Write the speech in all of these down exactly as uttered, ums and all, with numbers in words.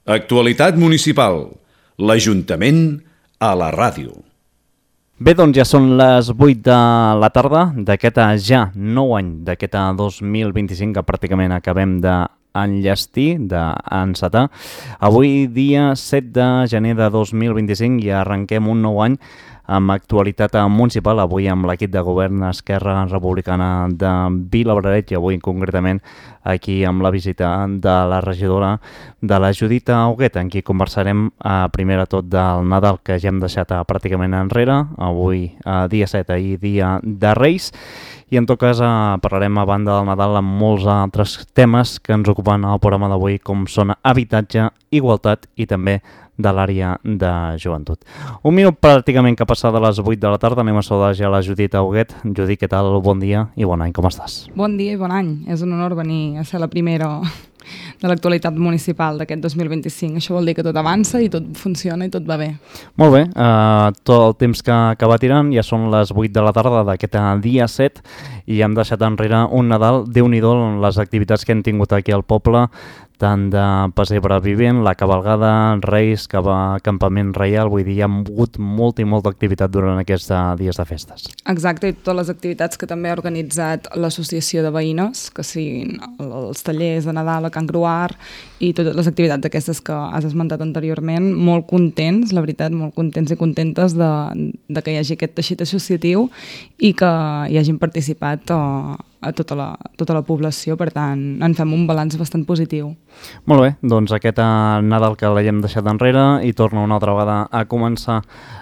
Actualitat municipal. L'Ajuntament a la ràdio. Bé, doncs ja són les vuit de la tarda d'aquest ja nou any, d'aquest dos mil vint-i-cinc que pràcticament acabem d'enllestir, d'encetar. Avui dia set de gener de dos mil vint-i-cinc i arrenquem un nou any amb actualitat municipal, avui amb l'equip de govern Esquerra Republicana de Vilabraret i avui concretament aquí amb la visita de la regidora de la Judit Huguet, amb qui conversarem eh, primer de tot del Nadal que ja hem deixat eh, pràcticament enrere, avui eh, dia set, ahir dia de Reis, i en tot cas eh, parlarem a banda del Nadal amb molts altres temes que ens ocupen al programa d'avui, com són habitatge, igualtat i també de l'àrea de joventut. Un minut pràcticament que ha passat de les vuit de la tarda, anem a saludar ja la Judit Huguet. Judit, què tal? Bon dia i bon any, com estàs? Bon dia i bon any. És un honor venir a ser la primera de l'actualitat municipal d'aquest dos mil vint-i-cinc. Això vol dir que tot avança i tot funciona i tot va bé. Molt bé, uh, tot el temps que, que va tirant, ja són les vuit de la tarda d'aquest dia set i hem deixat enrere un Nadal, Déu-n'hi-do, les activitats que hem tingut aquí al poble, tant de pessebre vivent, la cavalgada, Reis, cava, campament reial, vull dir, hi ha hagut molta i molta activitat durant aquests dies de festes. Exacte, i totes les activitats que també ha organitzat l'associació de veïnes, que siguin els tallers de Nadal a Can Gruar i totes les activitats aquestes que has esmentat anteriorment, molt contents, la veritat, molt contents i contentes de, de que hi hagi aquest teixit associatiu i que hi hagin participat a, a tota la, tota la població, per tant, en fem un balanç bastant positiu. Molt bé, doncs aquest Nadal que l'hem deixat enrere i torna una altra vegada a començar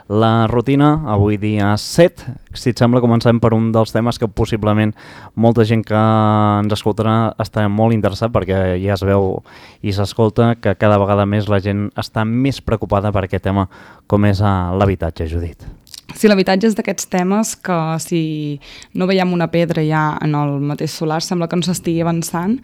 la rutina, avui dia set. Si et sembla, comencem per un dels temes que possiblement molta gent que ens escoltarà està molt interessat, perquè ja es veu i s'escolta que cada vegada més la gent està més preocupada per aquest tema com és l'habitatge, Judit. Sí, l'habitatge és d'aquests temes que si no veiem una pedra ja en el mateix solar sembla que no s'estigui avançant.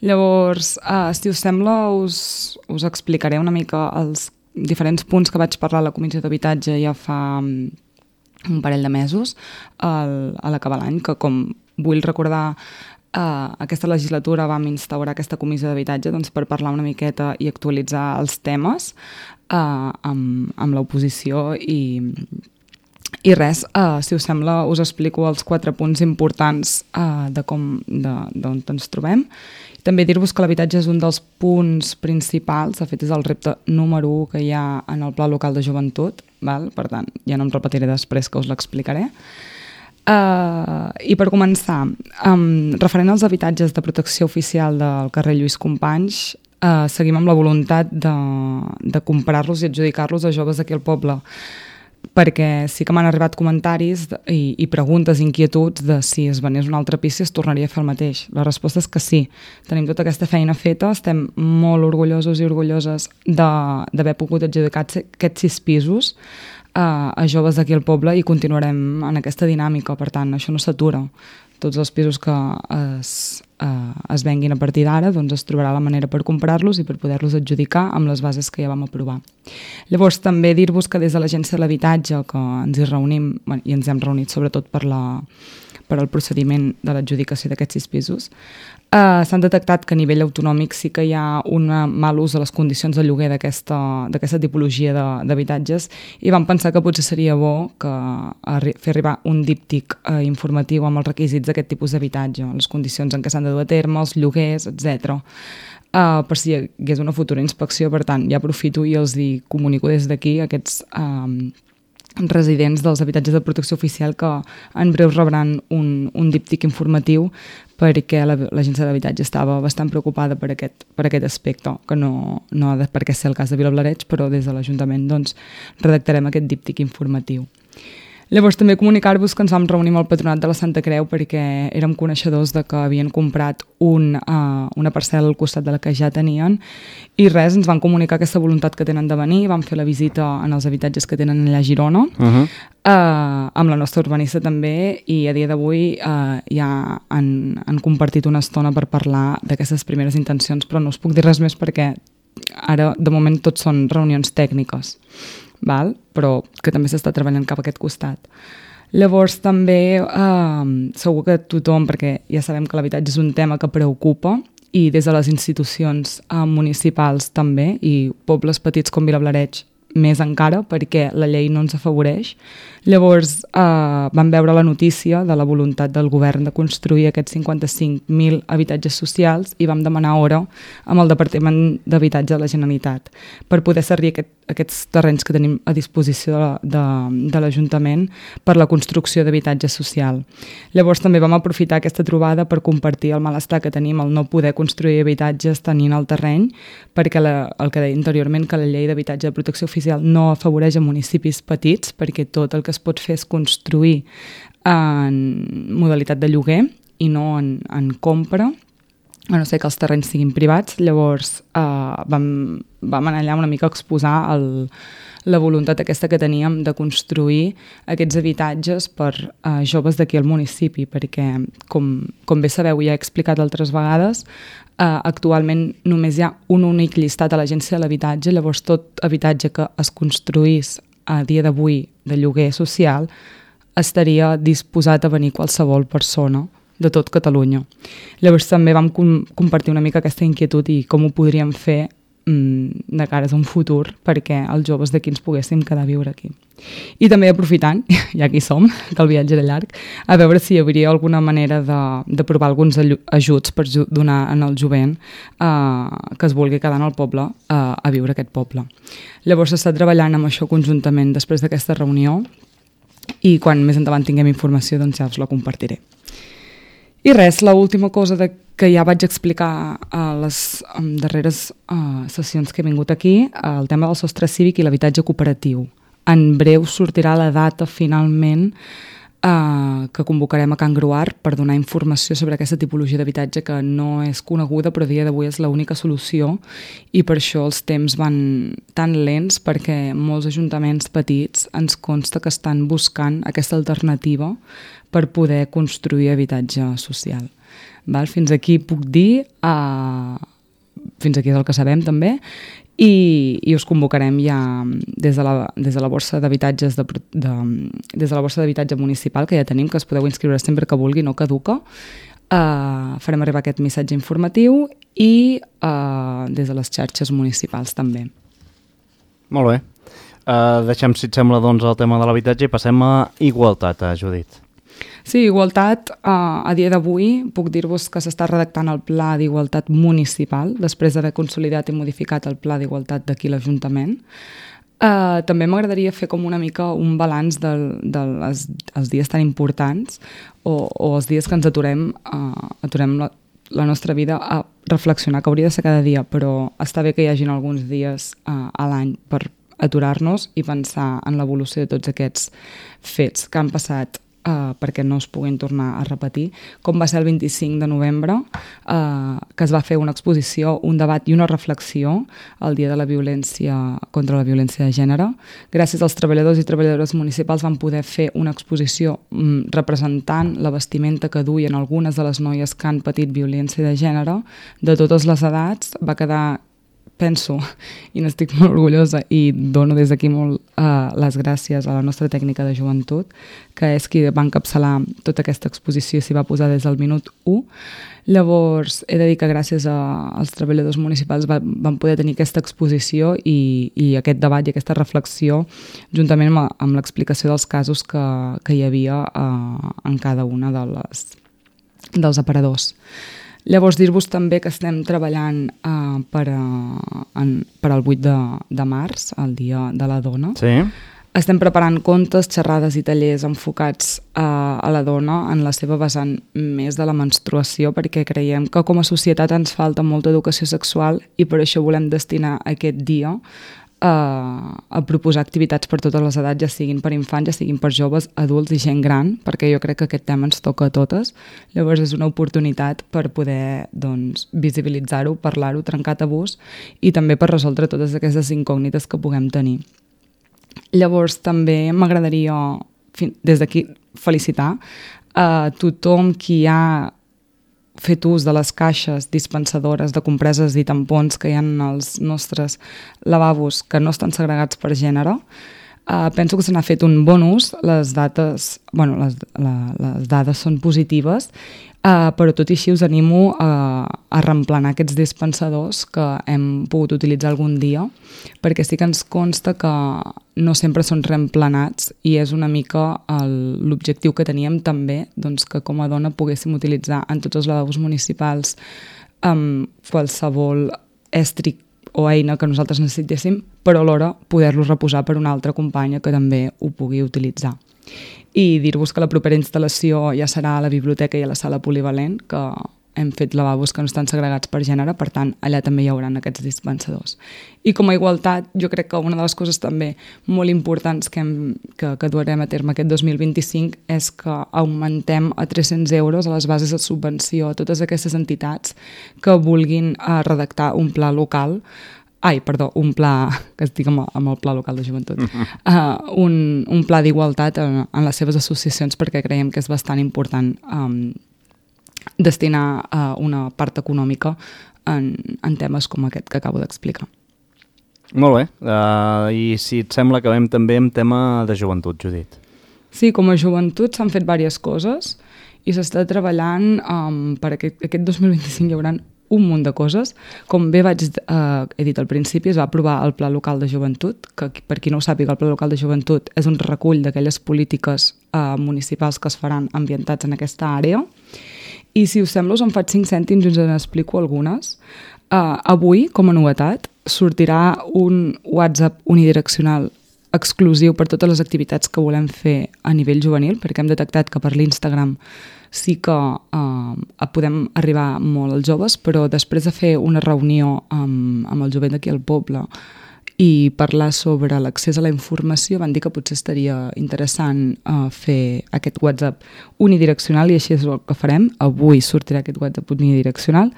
Llavors, eh, si us sembla, us, us explicaré una mica els diferents punts que vaig parlar a la Comissió d'Habitatge ja fa un parell de mesos al, a l'acabar l'any, que com vull recordar Uh, aquesta legislatura vam instaurar aquesta comissió d'habitatge doncs, per parlar una miqueta i actualitzar els temes uh, amb, amb l'oposició i, i res, uh, si us sembla us explico els quatre punts importants uh, de com, d'on ens trobem. També dir-vos que l'habitatge és un dels punts principals, de fet és el repte número u que hi ha en el Pla Local de Joventut, val? Per tant, ja no em repetiré després que us l'explicaré. Uh, I per començar, um, referent als habitatges de protecció oficial del carrer Lluís Companys, uh, seguim amb la voluntat de, de comprar-los i adjudicar-los a joves d'aquí al poble, perquè sí que m'han arribat comentaris i, i preguntes, inquietuds de si es venés un altre pis si es tornaria a fer el mateix. La resposta és que sí, tenim tota aquesta feina feta, estem molt orgullosos i orgulloses d'haver pogut adjudicar aquests sis pisos a, a joves d'aquí al poble i continuarem en aquesta dinàmica, per tant, això no s'atura. Tots els pisos que es, eh, es venguin a partir d'ara, doncs es trobarà la manera per comprar-los i per poder-los adjudicar amb les bases que ja vam aprovar. Llavors, també dir-vos que des de l'Agència de l'Habitatge, que ens hi reunim, bueno, i ens hem reunit sobretot per, la, per al procediment de l'adjudicació d'aquests sis pisos, Uh, s'han detectat que a nivell autonòmic sí que hi ha un mal ús de les condicions de lloguer d'aquesta d'aquesta tipologia d'habitatges i vam pensar que potser seria bo que arri fer arribar un díptic uh, informatiu amb els requisits d'aquest tipus d'habitatge, les condicions en què s'han de dur a terme, els lloguers, etcètera. Uh, per si hi hagués una futura inspecció, per tant, ja aprofito i els hi comunico des d'aquí aquests um, residents dels habitatges de protecció oficial que en breu rebran un, un díptic informatiu perquè l'Agència de l'Habitatge estava bastant preocupada per aquest, per aquest aspecte, que no, no ha de per què ser el cas de Vilablareix, però des de l'Ajuntament doncs, redactarem aquest díptic informatiu. Llavors també comunicar-vos que ens vam reunir amb el Patronat de la Santa Creu perquè érem coneixedors de que havien comprat un, uh, una parcel·la al costat de la que ja tenien i res, ens van comunicar aquesta voluntat que tenen de venir, vam fer la visita en els habitatges que tenen allà a Girona, uh-huh. uh, amb la nostra urbanista també, i a dia d'avui uh, ja han, han compartit una estona per parlar d'aquestes primeres intencions, però no us puc dir res més perquè ara de moment tot són reunions tècniques. Val? Però que també s'està treballant cap a aquest costat. Llavors també eh, segur que tothom, perquè ja sabem que l'habitatge és un tema que preocupa i des de les institucions uh, municipals també, i pobles petits com Vilablareix més encara, perquè la llei no ens afavoreix. Llavors eh, vam veure la notícia de la voluntat del govern de construir aquests cinquanta-cinc mil habitatges socials i vam demanar hora amb el Departament d'Habitatge de la Generalitat per poder servir aquest, aquests terrenys que tenim a disposició de, de, de l'Ajuntament per la construcció d'habitatge social. Llavors també vam aprofitar aquesta trobada per compartir el malestar que tenim al no poder construir habitatges tenint el terreny, perquè la, el que deia anteriorment, que la llei d'habitatge de protecció oficial no afavoreix a municipis petits, perquè tot el que es pot fer és construir en modalitat de lloguer i no en, en compra, a no ser que els terrenys siguin privats. Llavors eh, vam, vam anar allà una mica a exposar el, la voluntat aquesta que teníem de construir aquests habitatges per eh, joves d'aquí al municipi, perquè com, com bé sabeu i ja he explicat altres vegades, eh, actualment només hi ha un únic llistat a l'Agència de l'Habitatge. Llavors tot habitatge que es construís a dia d'avui de lloguer social estaria disposat a venir qualsevol persona de tot Catalunya. Llavors també vam com compartir una mica aquesta inquietud i com ho podríem fer mmm, de cares a un futur perquè els joves d'aquí ens poguéssim quedar a viure aquí. I també aprofitant, ja que hi som, que el viatge era llarg, a veure si hi hauria alguna manera d'aprovar alguns ajuts per donar en el jovent eh, que es vulgui quedar en el poble eh, a viure aquest poble. Llavors s'està treballant amb això conjuntament després d'aquesta reunió i quan més endavant tinguem informació doncs ja us la compartiré. I res, l'última cosa de, que ja vaig explicar a les um, darreres uh, sessions que he vingut aquí, uh, el tema del sostre cívic i l'habitatge cooperatiu. En breu sortirà la data finalment uh, que convocarem a Can Gruar per donar informació sobre aquesta tipologia d'habitatge que no és coneguda però a dia d'avui és l'única solució i per això els temps van tan lents perquè molts ajuntaments petits ens consta que estan buscant aquesta alternativa per poder construir habitatge social. Val? Fins aquí puc dir, uh, fins aquí és el que sabem també, i, i us convocarem ja des de la, des de la borsa d'habitatges de, de, des de la borsa d'habitatge municipal que ja tenim, que es podeu inscriure sempre que vulgui, no caduca. Uh, farem arribar aquest missatge informatiu i uh, des de les xarxes municipals també. Molt bé. Uh, deixem, si et sembla, doncs, el tema de l'habitatge i passem a igualtat, a Judit. Sí, igualtat, eh, a dia d'avui puc dir-vos que s'està redactant el Pla d'Igualtat Municipal després d'haver consolidat i modificat el Pla d'Igualtat d'aquí a l'Ajuntament. Eh, també m'agradaria fer com una mica un balanç dels de les, els dies tan importants o, o els dies que ens aturem, eh, aturem la, la nostra vida a reflexionar, que hauria de ser cada dia, però està bé que hi hagin alguns dies eh, a l'any per aturar-nos i pensar en l'evolució de tots aquests fets que han passat Uh, perquè no es puguin tornar a repetir, com va ser el vint-i-cinc de novembre, uh, que es va fer una exposició, un debat i una reflexió el dia de la violència contra la violència de gènere. Gràcies als treballadors i treballadores municipals van poder fer una exposició um, representant la vestimenta que duien algunes de les noies que han patit violència de gènere de totes les edats. Va quedar, penso, i n'estic molt orgullosa i dono des d'aquí molt uh, les gràcies a la nostra tècnica de joventut, que és qui va encapçalar tota aquesta exposició i s'hi va posar des del minut u. Llavors, he de dir que gràcies a, als treballadors municipals va, van poder tenir aquesta exposició i, i aquest debat i aquesta reflexió juntament amb, amb l'explicació dels casos que, que hi havia uh, en cada una de les, dels aparadors. Llavors, dir-vos també que estem treballant uh, per, uh, en, per al vuit de març, el Dia de la Dona. Sí. Estem preparant contes, xerrades i tallers enfocats uh, a la dona en la seva vessant més de la menstruació, perquè creiem que com a societat ens falta molta educació sexual i per això volem destinar aquest dia A, a proposar activitats per totes les edats, ja siguin per infants, ja siguin per joves, adults i gent gran, perquè jo crec que aquest tema ens toca a totes. Llavors és una oportunitat per poder doncs, visibilitzar-ho, parlar-ho, trencar tabús i també per resoldre totes aquestes incògnites que puguem tenir. Llavors també m'agradaria des d'aquí felicitar a tothom qui ha fet ús de les caixes dispensadores de compreses i tampons que hi ha en els nostres lavabos que no estan segregats per gènere. Uh, penso que se n'ha fet un bon ús, les dates, bueno, les, la, les dades són positives. Uh, però tot i així us animo a, a reemplenar aquests dispensadors que hem pogut utilitzar algun dia, perquè sí que ens consta que no sempre són reemplenats i és una mica l'objectiu que teníem també, doncs, que com a dona poguéssim utilitzar en tots els lavabos municipals um, qualsevol estri o eina que nosaltres necessitéssim, però alhora poder-los reposar per una altra companya que també ho pugui utilitzar. I dir-vos que la propera instal·lació ja serà a la biblioteca i a la sala polivalent, que hem fet lavabos que no estan segregats per gènere, per tant, allà també hi haurà aquests dispensadors. I com a igualtat, jo crec que una de les coses també molt importants que, hem, que, que durem a terme aquest dos mil vint-i-cinc és que augmentem a tres-cents euros a les bases de subvenció a totes aquestes entitats que vulguin uh, redactar un pla local. Ai, perdó, un pla, que estic amb, amb el pla local de joventut, uh, un, un pla d'igualtat en, en les seves associacions, perquè creiem que és bastant important um, destinar uh, una part econòmica en, en temes com aquest que acabo d'explicar. Molt bé, uh, i si et sembla acabem també amb tema de joventut, Judit. Sí, com a joventut s'han fet diverses coses i s'està treballant um, per aquest, aquest dos mil vint-i-cinc hi haurà un munt de coses. Com bé vaig, eh, he dit al principi, es va aprovar el Pla Local de Joventut, que per qui no ho sàpiga, el Pla Local de Joventut és un recull d'aquelles polítiques eh, municipals que es faran ambientats en aquesta àrea. I si us sembla, us en faig cinc cèntims i us en explico algunes. Uh, avui, com a novetat, sortirà un WhatsApp unidireccional exclusiu per totes les activitats que volem fer a nivell juvenil, perquè hem detectat que per l'Instagram sí que eh, podem arribar molt als joves, però després de fer una reunió amb, amb el jovent d'aquí al poble i parlar sobre l'accés a la informació, van dir que potser estaria interessant eh, fer aquest WhatsApp unidireccional, i així és el que farem. Avui sortirà aquest WhatsApp unidireccional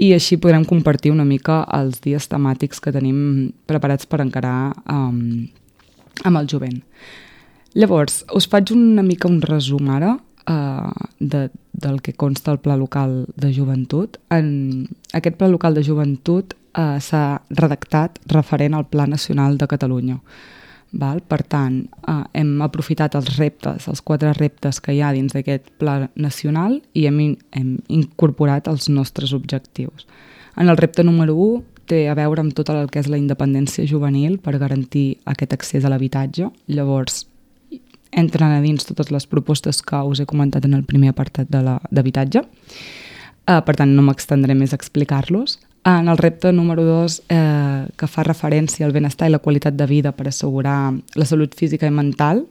i així podrem compartir una mica els dies temàtics que tenim preparats per encarar eh, amb el jovent. Llavors, us faig una mica un resum ara Uh, de, del que consta el Pla Local de Joventut. En aquest Pla Local de Joventut uh, s'ha redactat referent al Pla Nacional de Catalunya. Val? Per tant, uh, hem aprofitat els reptes, els quatre reptes que hi ha dins d'aquest Pla Nacional i hem, hem incorporat els nostres objectius. En el repte número u té a veure amb tot el que és la independència juvenil per garantir aquest accés a l'habitatge. Llavors, entren a dins totes les propostes que us he comentat en el primer apartat d'habitatge. Uh, per tant, no m'extendré més a explicar-los. En el repte número dos, eh, que fa referència al benestar i la qualitat de vida per assegurar la salut física i mental,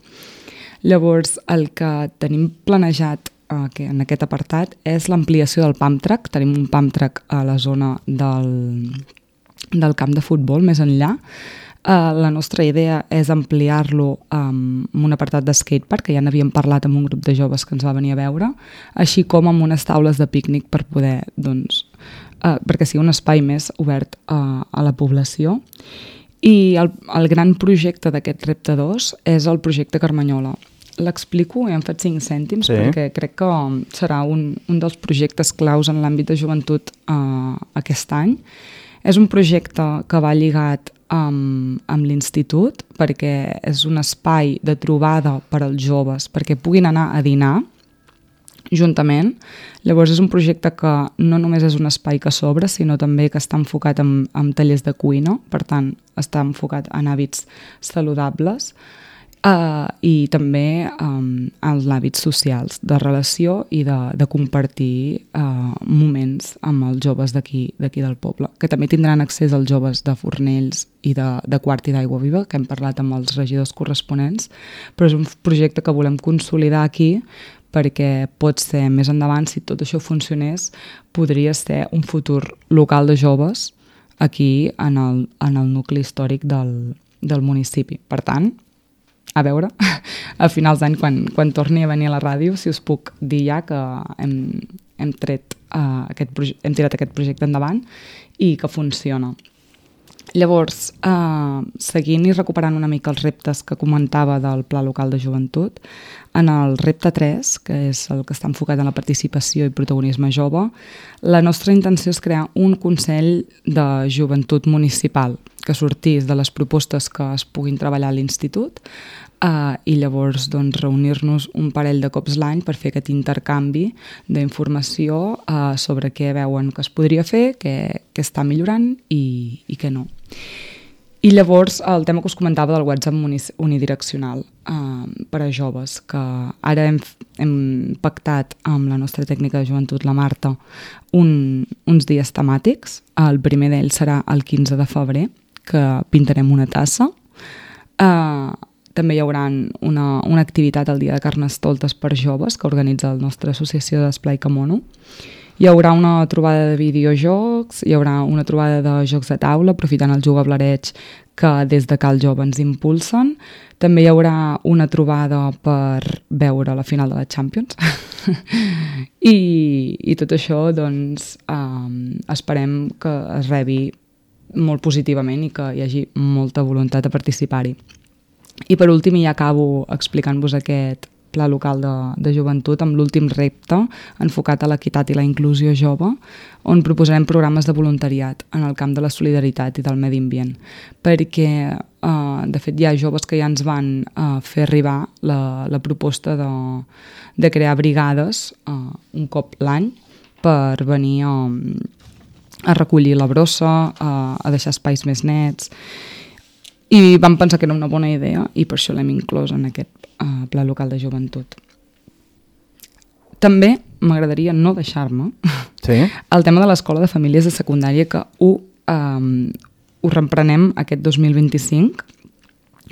llavors el que tenim planejat eh, que en aquest apartat és l'ampliació del pump track. Tenim un pump track a la zona del, del camp de futbol, més enllà. Uh, la nostra idea és ampliar-lo um, amb un apartat de skatepark, que ja n'havíem parlat amb un grup de joves que ens va venir a veure, així com amb unes taules de pícnic per poder, doncs, uh, perquè sigui un espai més obert uh, a la població. I el, el gran projecte d'aquest repte dos és el projecte Carmanyola. L'explico i em faig cinc cèntims, sí, perquè crec que serà un, un dels projectes claus en l'àmbit de joventut uh, aquest any. És un projecte que va lligat amb, amb l'institut, perquè és un espai de trobada per als joves, perquè puguin anar a dinar juntament. Llavors és un projecte que no només és un espai que s'obre, sinó també que està enfocat en, en tallers de cuina, per tant està enfocat en hàbits saludables, Uh, i també um, els hàbits socials de relació i de, de compartir uh, moments amb els joves d'aquí d'aquí del poble, que també tindran accés als joves de Fornells i de, de Quart i d'Aigua Viva, que hem parlat amb els regidors corresponents, però és un projecte que volem consolidar aquí perquè pot ser més endavant, si tot això funcionés, podria ser un futur local de joves aquí en el, en el nucli històric del, del municipi. Per tant, a veure, a finals d'any, quan, quan torni a venir a la ràdio, si us puc dir ja que hem, hem, tret, uh, aquest proje- hem tirat aquest projecte endavant i que funciona. Llavors, uh, seguint i recuperant una mica els reptes que comentava del Pla Local de Joventut, en el repte tres, que és el que està enfocat en la participació i protagonisme jove, la nostra intenció és crear un Consell de Joventut Municipal, que sortís de les propostes que es puguin treballar a l'institut uh, i llavors doncs, reunir-nos un parell de cops l'any per fer aquest intercanvi d'informació uh, sobre què veuen que es podria fer, què, què està millorant i, i què no. I llavors el tema que us comentava del WhatsApp unidireccional eh, per a joves, que ara hem, hem pactat amb la nostra tècnica de joventut, la Marta, un, uns dies temàtics. El primer d'ells serà el quinze de febrer, que pintarem una tassa. Eh, també hi haurà una, una activitat el dia de Carnestoltes per joves que organitza la nostra associació d'Esplai Camono. Hi haurà una trobada de videojocs, hi haurà una trobada de jocs de taula, aprofitant el jugablareig que des de Cal Jove ens impulsen. També hi haurà una trobada per veure la final de la Champions. I, i tot això, doncs, um, esperem que es rebi molt positivament i que hi hagi molta voluntat de participar-hi. I per últim, ja acabo explicant-vos aquest pla local de, de joventut amb l'últim repte enfocat a l'equitat i la inclusió jove, on proposarem programes de voluntariat en el camp de la solidaritat i del medi ambient, perquè eh, de fet hi ha joves que ja ens van eh, fer arribar la, la proposta de, de crear brigades eh, un cop l'any per venir a, a recollir la brossa, a, a deixar espais més nets, i vam pensar que era una bona idea i per això l'hem inclòs en aquest uh, pla local de joventut. També m'agradaria no deixar-me sí? el tema de l'escola de famílies de secundària, que ho, um, ho reprenem aquest dos mil vint-i-cinc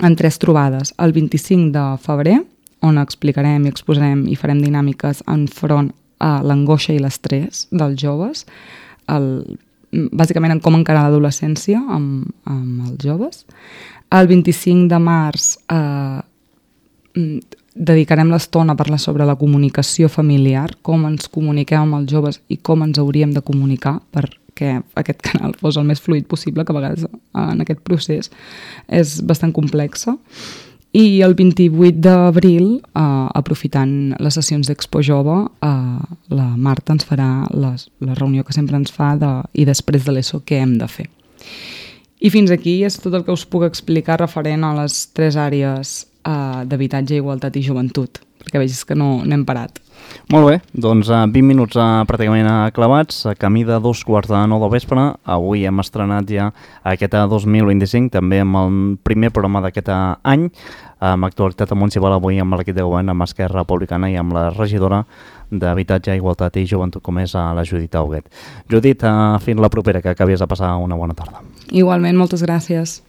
en tres trobades. El vint-i-cinc de febrer, on explicarem i exposarem i farem dinàmiques enfront a l'angoixa i l'estrès dels joves, el bàsicament en com encarar l'adolescència amb, amb els joves. El vint-i-cinc de març eh, dedicarem l'estona a parlar sobre la comunicació familiar, com ens comuniquem amb els joves i com ens hauríem de comunicar perquè aquest canal fos el més fluid possible, que a vegades en aquest procés és bastant complexa. I el vint-i-vuit d'abril, eh, aprofitant les sessions d'Expo Jove, eh, la Marta ens farà les, la reunió que sempre ens fa de, i després de l'ESO què hem de fer. I fins aquí és tot el que us puc explicar referent a les tres àrees eh, d'habitatge, igualtat i joventut, perquè vegis que no, no hem parat. Molt bé, doncs uh, vint minuts uh, pràcticament aclavats, a camí de dos quarts de nou del vespre. Avui hem estrenat ja aquest dos mil vint-i-cinc, també amb el primer programa d'aquest any, amb actualitat municipal avui amb l'equip de govern, amb Esquerra Republicana i amb la regidora d'Habitatge, Igualtat i Joventut, com és la Judit Auguet. Judit, uh, fins la propera, que acabies de passar una bona tarda. Igualment, moltes gràcies.